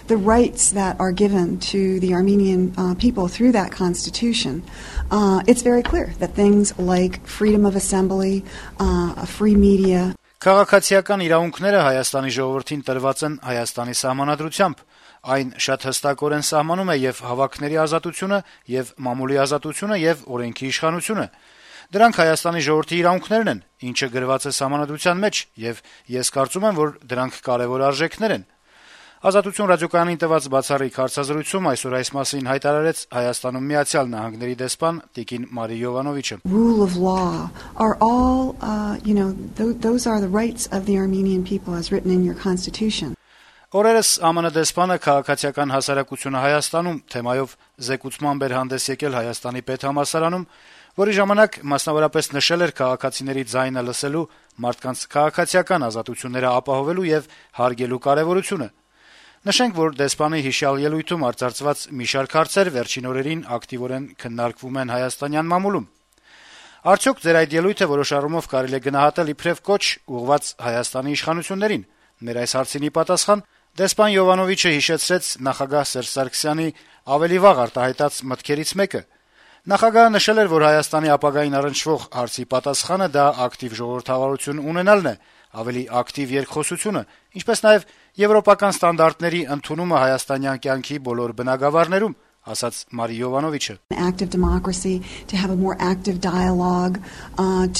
the rights that are given to the Armenian people through that constitution, it's very clear that things like freedom of assembly, a free media. Քաղաքացիական իրավունքները Հայաստանի ժողովրդին տրված են Հայաստանի սահմանադրությամբ։ Այն շատ հստակորեն սահմանում է եւ հավաքների ազատությունը, եւ մամուլի ազատությունը, եւ օրենքի իշխանությունը։ Դրանք Հայաստանի ժողովրդի իրավունքներն են, ինչը գրված է սահմանադրության մեջ, եւ ես կարծում եմ, որ դրանք կարեւոր արժեքներ են։ Ազատություն ռադիոկայանին տված բացառիկ հարցազրույցում այսօր այս մասին հայտարարեց Հայաստանում Միացյալ Նահանգների դեսպան Տիկին Մարի Յովանովիչը։ Rule of law are all, those are the rights of the Armenian people as written in your constitution. Օրերս ԱՄՆ դեսպանը քաղաքացիական հասարակությունը Հայաստանում թեմայով զեկուցման բեր հանդես եկել Հայաստանի պետհամալսարանում, որի ժամանակ մասնավորապես նշել էր քաղաքացիների ձայնը լսելու, մարդկանց քաղաքացիական ազատությունները ապահովելու եւ հարգելու կարեւորությունը։ Նշենք, որ դեսպանի հիշյալ ելույթում արձարծված մի շարք հարցեր վերջին օրերին ակտիվորեն քննարկվում են հայաստանյան մամուլում։ Արդյոք ձեր այդ ելույթը որոշ առումով կարելի է գնահատել իբրև կոչ ուղղված Հայաստանի իշխանություններին։ Մեր այս հարցինի պատասխան դեսպան Յովանովիչը հիշեցրեց նախագահ Սերժ Սարգսյանի ավելի վաղ արտահայտած մտքերից մեկը։ Նախագահը նշել էր, որ Հայաստանի ապագային առնչվող հարցի պատասխանը դա ակտիվ ժողովրդավարություն ունենալն է, ավելի ակտիվ երկխոսությունը, ինչպես նաև եվրոպական ստանդարտների ընդունումը հայաստանյան կյանքի բոլոր բնագավառներում, ասաց Մարի Յովանովիչը. Active democracy, to have a more active dialogue,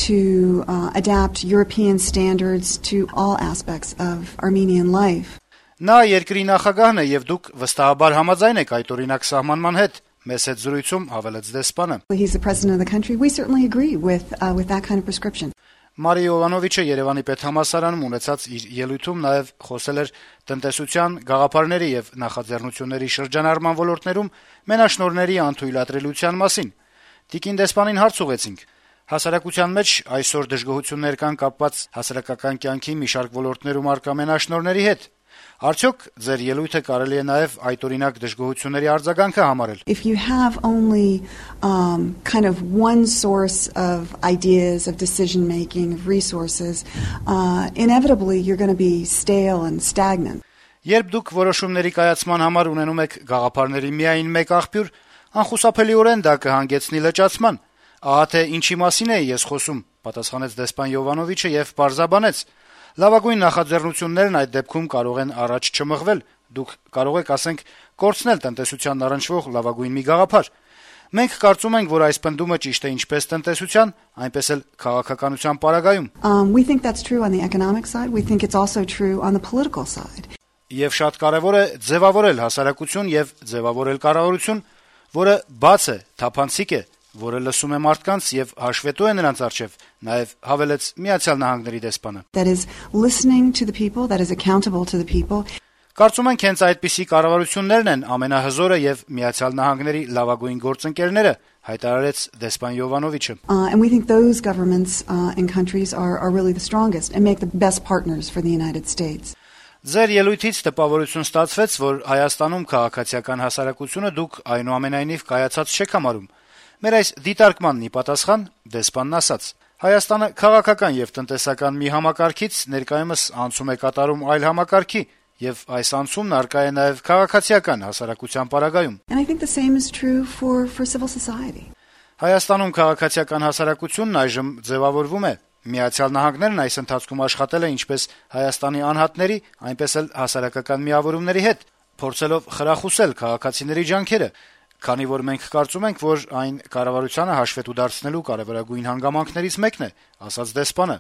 to adapt European standards to all aspects of Armenian life. Նա երկրի նախագահն է եւ դուք վստահաբար համաձայն եք այդ օրինակ սահմանման հետ, մեծ հետ զրույցում հավելեց դեսպանը. He's the president of the country. We certainly agree with that kind of prescription. Մարի Յովանովիչը Երևանի պետհամալսարանում ունեցած իր ելույթում նաև խոսել էր տնտեսության, գաղափարների եւ նախաձեռնությունների շրջանառման ոլորտներում մենաշնորհների անթույլատրելիության մասին։ Տիկին դեսպանին հարց ուղեցինք. հասարակության մեջ այսօր դժգոհություններ կան կապված հասարակական կյանքի մի շարք ոլորտներում արկա մենաշնորհների հետ։ Արդյոք ձեր ելույթը կարելի է նաև այդ օրինակ դժգոհությունների արձագանքը համարել։ If you have only kind of one source of ideas, of decision making, of resources, inevitably you're going to be stale and stagnant. Երբ դուք որոշումների կայացման համար ունենում եք գաղափարների միայն մեկ աղբյուր, անխուսափելիորեն դա կհանգեցնի լճացման։ Ահա թե ինչի մասին է ես խոսում, պատասխանեց դեսպան Յովանովիչը եւ պարզաբանեց. Լավագույն նախաձեռնություններն այդ դեպքում կարող են առաջ չմղվել, դուք կարող եք, ասենք, կորցնել տնտեսության առնչվող լավագույն մի գաղափար։ Մենք կարծում ենք, որ այս պնդումը ճիշտ է ինչպես տնտեսության, այնպես էլ քաղաքականության պարագայում։ We think that's true on the economic side, we think it's also true on the political side. Եվ շատ կարևոր է ձևավորել հասարակություն եւ ձևավորել կառավարություն, որը բաց է, թափանցիկ է, որը լսում է մարդկանց եւ հաշվետու է նրանց առջեւ, նաեւ հավելեց Միացյալ Նահանգների դեսպանը. That is listening to the people, that is accountable to the people. Կարծում ենք հենց այդպիսի կառավարություններն են ամենահզորը եւ Միացյալ Նահանգների լավագույն գործընկերները, հայտարարեց դեսպան Յովանովիչը. And we think those governments and countries are really the strongest and make the best partners for the United States. Ձեր ելույթից տպավորություն ստացվեց, որ Հայաստանում քաղաքացիական հասարակությունը դուք այնուամենայնիվ կայացած չեք համարում։ Մեր այս դիտարկմանն ի պատասխան դեսպանն ասաց. Հայաստանը քաղաքական եւ տնտեսական մի համակարգից ներկայումս անցում է կատարում այլ համակարգի եւ այս անցումն արկա է նաեւ քաղաքացիական հասարակության պարագայում. And I think the same is true for civil society. Հայաստանում քաղաքացիական հասարակությունն այժմ ձևավորվում է։ Միացյալ Նահանգներն այս ընթացքում աշխատել է ինչպես Հայաստանի անհատների, այնպես էլ հասարակական միավորումների հետ, փորձելով խրախուսել քաղաքացիների ջանքերը, քանի որ մենք կարծում ենք, որ այն կառավարությանը հաշվետու դարձնելու կարևորագույն հանգամանքներից մեկն է, ասաց դեսպանը։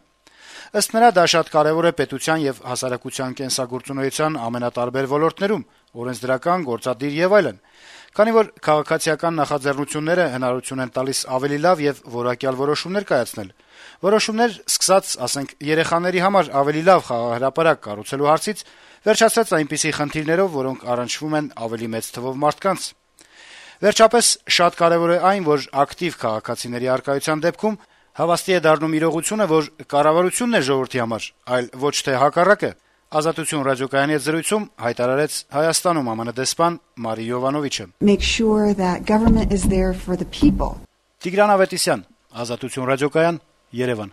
Ըստ նրա դա շատ կարևոր է պետության եւ հասարակության կենսագործունեության ամենատարբեր ոլորտներում, օրենսդրական, գործադիր եւ այլն, քանի որ քաղաքացիական նախաձեռնությունները հնարավորություն են տալիս ավելի լավ եւ որակյալ որոշումներ կայացնել։ Որոշումներ սկսած, ասենք, երեխաների համար ավելի լավ խաղահրապարակ կառուցելու հարցից, վերջացած այնպիսի խնդիրներով, որոնք առնչվում են ավելի մեծ թվով մարդկանց։ Վերջապես, շատ կարևոր է այն, որ ակտիվ քաղաքացիների առկայության դեպքում հավաստի է դառնում իրողությունը, որ կառավարությունն է ժողովրդի համար, այլ ոչ թե հակառակը։ Ազատություն ռադիոկայանի հետ զրույցում հայտարարեց Հայաստանում ԱՄՆ դեսպան Մարի Յովանովիչը. Make sure that government is there for the people. Տիգրան Ավետիսյան, Ազատություն ռադիոկայան, Երևան։